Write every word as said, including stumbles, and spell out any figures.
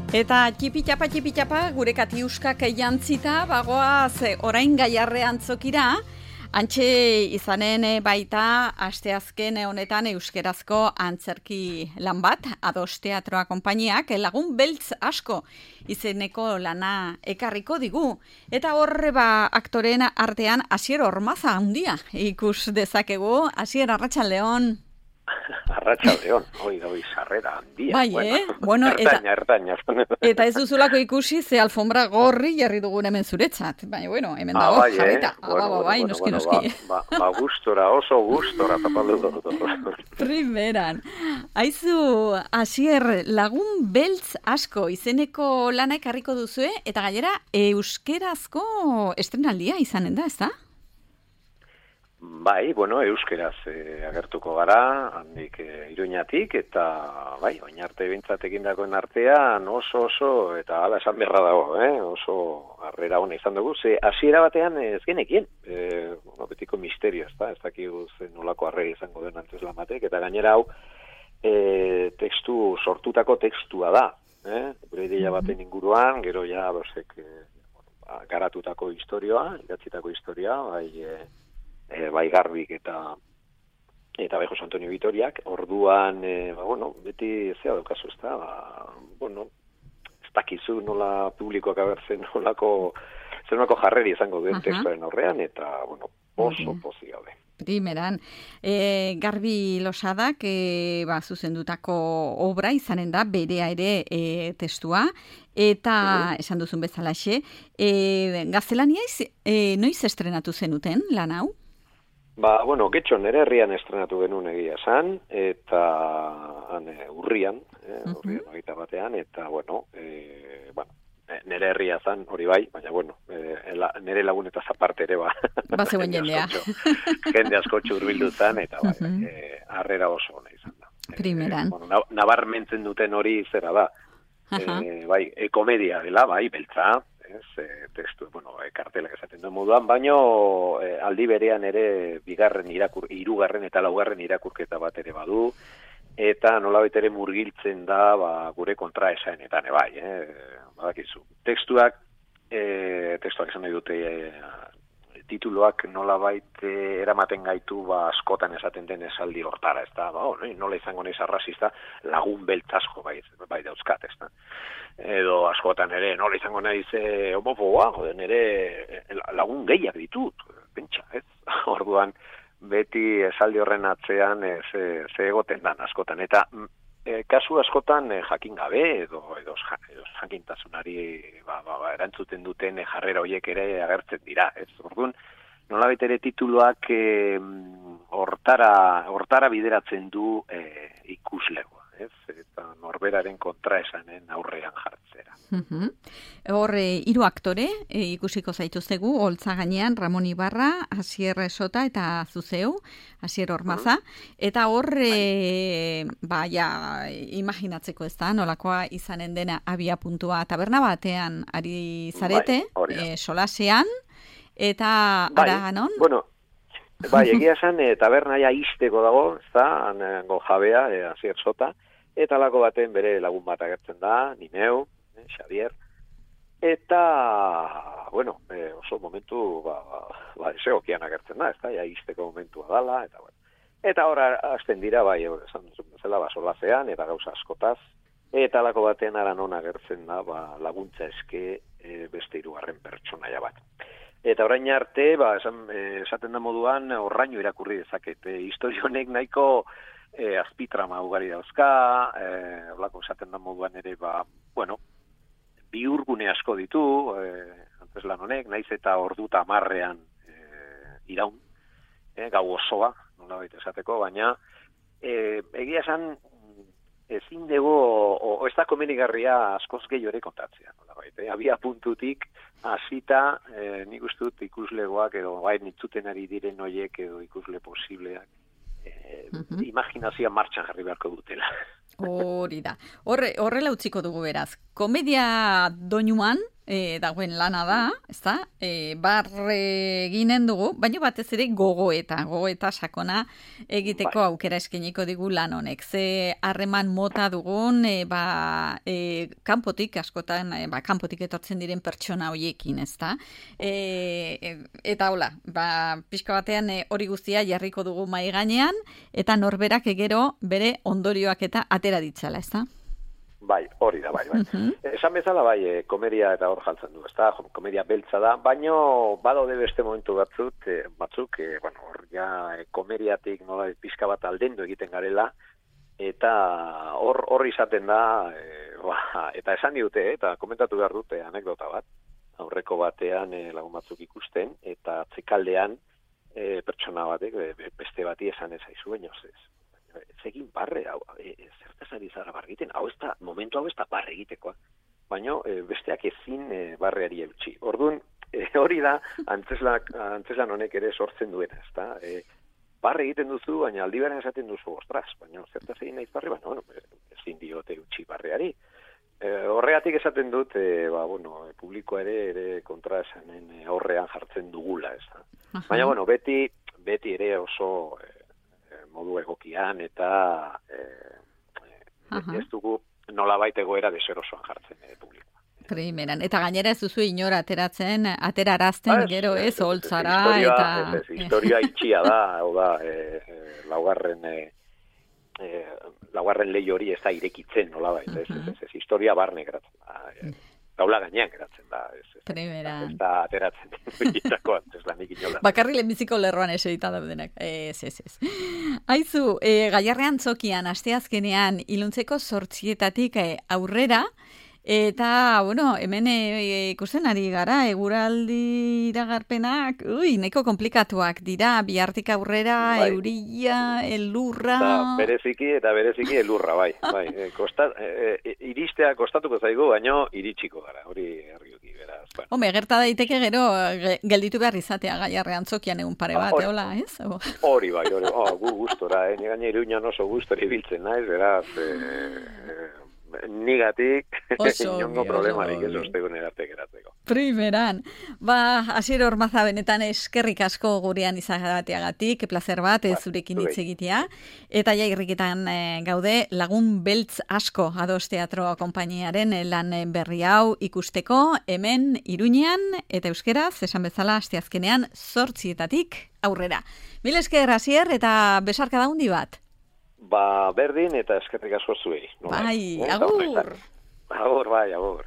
Eta txipitxapa, txipitxapa, gure katiuskak jantzita, bagoaz orain gaiarrean zokira, antxe izanen baita asteazken honetan euskerazko antzerki lan bat, Ados Teatroa konpainiak, lagun beltz asko izeneko lana ekarriko digu. Eta horre ba aktoreen artean Asier Ormaza handia ikus dezakegu. Asier, arratsaldeon. Arratsaldeon, hoi da hoi sarrera handia. Bai, bueno, eh? Bueno, ertaina, ertaina. Eta ez duzulako ikusi ze alfombra gorri jarri dugun hemen zuretzat. Baina, bueno, hemen ah, dago bai, jarrita. Eh? Bueno, ah, bueno, bai, bueno, noski, bueno, noski. Ba, ba, ba gustora, oso gustora, tapaldu dut. Primeran. Aizu, Asier, lagun beltz asko izeneko lana ekarriko duzue, eta gainera euskerazko estrenaldia izanen da, ez da? Bai, bueno, euskeraz eh, agertuko gara, handik eh, Iruñatik, eta bai, oin arte bintzat egindakoen artean oso oso, eta hala esan berra dago, eh? oso harrera hona izan dugu, ze hasiera batean ez genekien, eh, bueno, betiko misterio, ez da, ez dakigu zen nolako harrera izango den antes lamatek, eta gainera hau, eh, tekstu, sortutako tekstua da, eh? gure ideia baten inguruan, gero ja, bosek, eh, garatutako historioa, idatzitako historia, bai, eh, E, bai Garbik eta eta bai Jose Antonio Vitoriak, orduan, e, ba, bueno, beti zea daukazu, ez da, ba, bueno, ez dakizu nola publikoak abertzen nolako, zer nolako jarreri izango duen testuaren aurrean, eta, bueno, oso pozik gaude. Primeran, e, Garbi Losadak e, ba, zuzendutako obra izanen da, berea ere e, testua, eta uh-huh. esan duzun bezalaxe, e, gaztelaniaz, e, noiz estrenatu zenuten lan hau? Ba, bueno, getxo nere herrian estrenatu genuen egia esan, eta han, e, urrian, e, urrian uh-huh. ogeita batean, eta, bueno, e, bueno, nere herria zan, hori bai, baina, bueno, e, la, nere lagunetaz aparte ere, ba. Ba zeuen jendea. Jende asko txurbildu zan, eta, bai, uh-huh. e, harrera oso ona izan da. Primeran. E, bueno, nabarmentzen duten hori zera da, uh-huh. e, bai, e, komedia dela, bai, beltza, ez, e, testu, bueno, e, kartelak esaten duen moduan, baino e, aldi berean ere bigarren irakur, hirugarren eta laugarren irakurketa bat ere badu, eta nolabait ere murgiltzen da ba, gure kontraesanetan, e, bai, eh, badakizu. Tekstuak, e, testuak esan nahi dute, e, tituloak nolabait e, eramaten gaitu ba, askotan esaten den esaldi hortara, ez da, ba, oh, nola izango naiz arrazista, lagun beltzasko bai, bai dauzkat, ez da. Edo askotan ere, nola izango naiz e, homofoboa, joden ere lagun gehiak ditut, pentsa, ez? Orduan, beti esaldi horren atzean e, ze, ze egoten dan askotan, eta e, kasu askotan e, jakin gabe, edo, edo, edo jakintasunari ba, ba, ba, erantzuten duten e, jarrera horiek ere agertzen dira, ez? Orduan, nolabait ere tituluak e, hortara, hortara bideratzen du e, ikuslegoa, ez? Eta norberaren kontraesanen aurrean jartzera. Uh-huh. Hor, e, hiru aktore e, ikusiko zaituztegu, holtza gainean Ramon Ibarra, Asier Sota eta Zuzeu, Asier Ormaza, uh-huh. eta hor, e, ba, ja, imaginatzeko ez da, nolakoa izanen dena abia puntua taberna batean ari zarete, bai, e, solasean, eta bai, ara non? Bueno, bai, egia esan, e, tabernaia izteko dago, ez da, ango jabea, e, Asier Sota, eta lako baten bere lagun bat agertzen da, Nineu, eh, Xavier, eta, bueno, eh, oso momentu, ba, ba, esegokian agertzen da, ez da, ja izteko momentua dala, eta, bueno. Eta hor, hasten dira, bai, esan duzun bezala, ba, solazean, eta gauza askotaz, eta lako baten ara non agertzen da, ba, laguntza eske e, beste hirugarren pertsonaia bat. Eta orain arte, ba, esan, e, esaten da moduan, horraino irakurri dezaket, e, historionek nahiko e, azpitrama ugari dauzka, e, olako esaten da moduan ere, ba, bueno, biurgune asko ditu, e, antzeslan honek, naiz eta ordu tamarrean e, iraun, e, gau osoa, nolabait esateko, baina e, egia esan ezin dugu, o, o ez da komenigarria askoz gehiago ere kontatzea, nolabait, e, abia puntutik hasita, e, nik uste dut ikuslegoak edo bai nitzuten ari diren hoiek edo ikusle posibleak e, uh-huh. imaginazioa martxan jarri beharko dutela. Hori da. Horre, horrela utziko dugu beraz. Komedia doinuan e, dagoen lana da, ezta? E, barre eginen dugu, baina batez ere gogoeta, gogoeta sakona egiteko bai. Aukera eskeniko digu lan honek. Ze harreman mota dugun, e, ba, e, kanpotik askotan, e, ba, kanpotik etortzen diren pertsona hoiekin, ezta? E, e, eta hola, ba, pixka batean e, hori guztia jarriko dugu mai gainean, eta norberak egero bere ondorioak eta atera ditzala, ezta? Bai, hori da, bai, bai. Uh-huh. Esan bezala, bai, e, komedia eta hor jaltzen du, ezta? Komedia beltza da, baino badaude beste momentu batzuk, e, batzuk, e, bueno, hor ja e, komediatik nola pizka bat aldendu egiten garela, eta hor hor izaten da, e, ba, eta esan diute, eta komentatu behar dute anekdota bat, aurreko batean e, lagun batzuk ikusten, eta atzekaldean e, pertsona batek, e, beste bati esan ez aizu, baino ez. Ez egin barre, hau, e, zertaz ari zara barre egiten, hau ez da, momentu hau ez da barre egitekoa, baina e, besteak ezin e, barreari eutxi. Orduan, e, hori da, antzeslan, antzeslan honek ere sortzen duena, ez da, e, barre egiten duzu, baina aldi beren esaten duzu, ostras, baina zertaz egin naiz barre, baina, bueno, ezin diote eutxi barreari. E, horregatik esaten dut, e, ba, bueno, e, publikoa ere, ere kontra esanen e, horrean jartzen dugula, ez da. Uh-huh. Baina, bueno, beti, beti ere oso... E, modu egokian eta e, uh-huh. ez dugu nolabait egoera deserosoan jartzen e, publikoa. Primeran, eta gainera ez duzu inora ateratzen, aterarazten gero ez, holtzara eta... Ez, ez, historia itxia da, hau da, e, e, laugarren, e, e, laugarren lehi hori ez da irekitzen nolabait, uh-huh. ez, ez, ez, ez, historia barne geratzen da, e, taula gainean geratzen da. Ez, ez, Primeran. Ez da ateratzen egitako antzeslanik inola. Bakarri lehenbiziko lerroan eserita daudenak. Ez, ez, ez. Aizu, e, Gaiarrean Tzokian, asteazkenean, iluntzeko zortzietatik e, aurrera, eta, bueno, hemen e, ikusten ari gara, eguraldi iragarpenak, ui, neko komplikatuak dira, bihartik aurrera, bai. Euria, elurra... Eta bereziki, eta bereziki elurra, bai. bai. E, kosta, e, iristea kostatuko zaigu, baino iritsiko gara, hori argioki, beraz. Bueno. Home, gerta daiteke gero, gelditu behar izatea Gaiarrean Tzokian egun pare bat, ah, eola, ez? Hori, bai, hori, oh, gu gustora, eh? Ni gaine Iruñan oso gustora ibiltzen naiz, beraz... Eh, Nigatik, inongo problemarik ez ostegun erarte geratzeko. Primeran. Ba, Asier Ormaza benetan eskerrik asko gurean izagateagatik, placer bat ez zurekin hitz egitea. Eta ja irriketan e, gaude lagun beltz asko Ados Teatro konpainiaren lan berri hau ikusteko hemen Iruñean eta euskeraz, esan bezala asteazkenean zortzietatik aurrera. Mil esker Asier eta besarka da hundi bat. Ba, berdin eta eskerrik asko zuei. Bai, agur. Agur, bai, agur.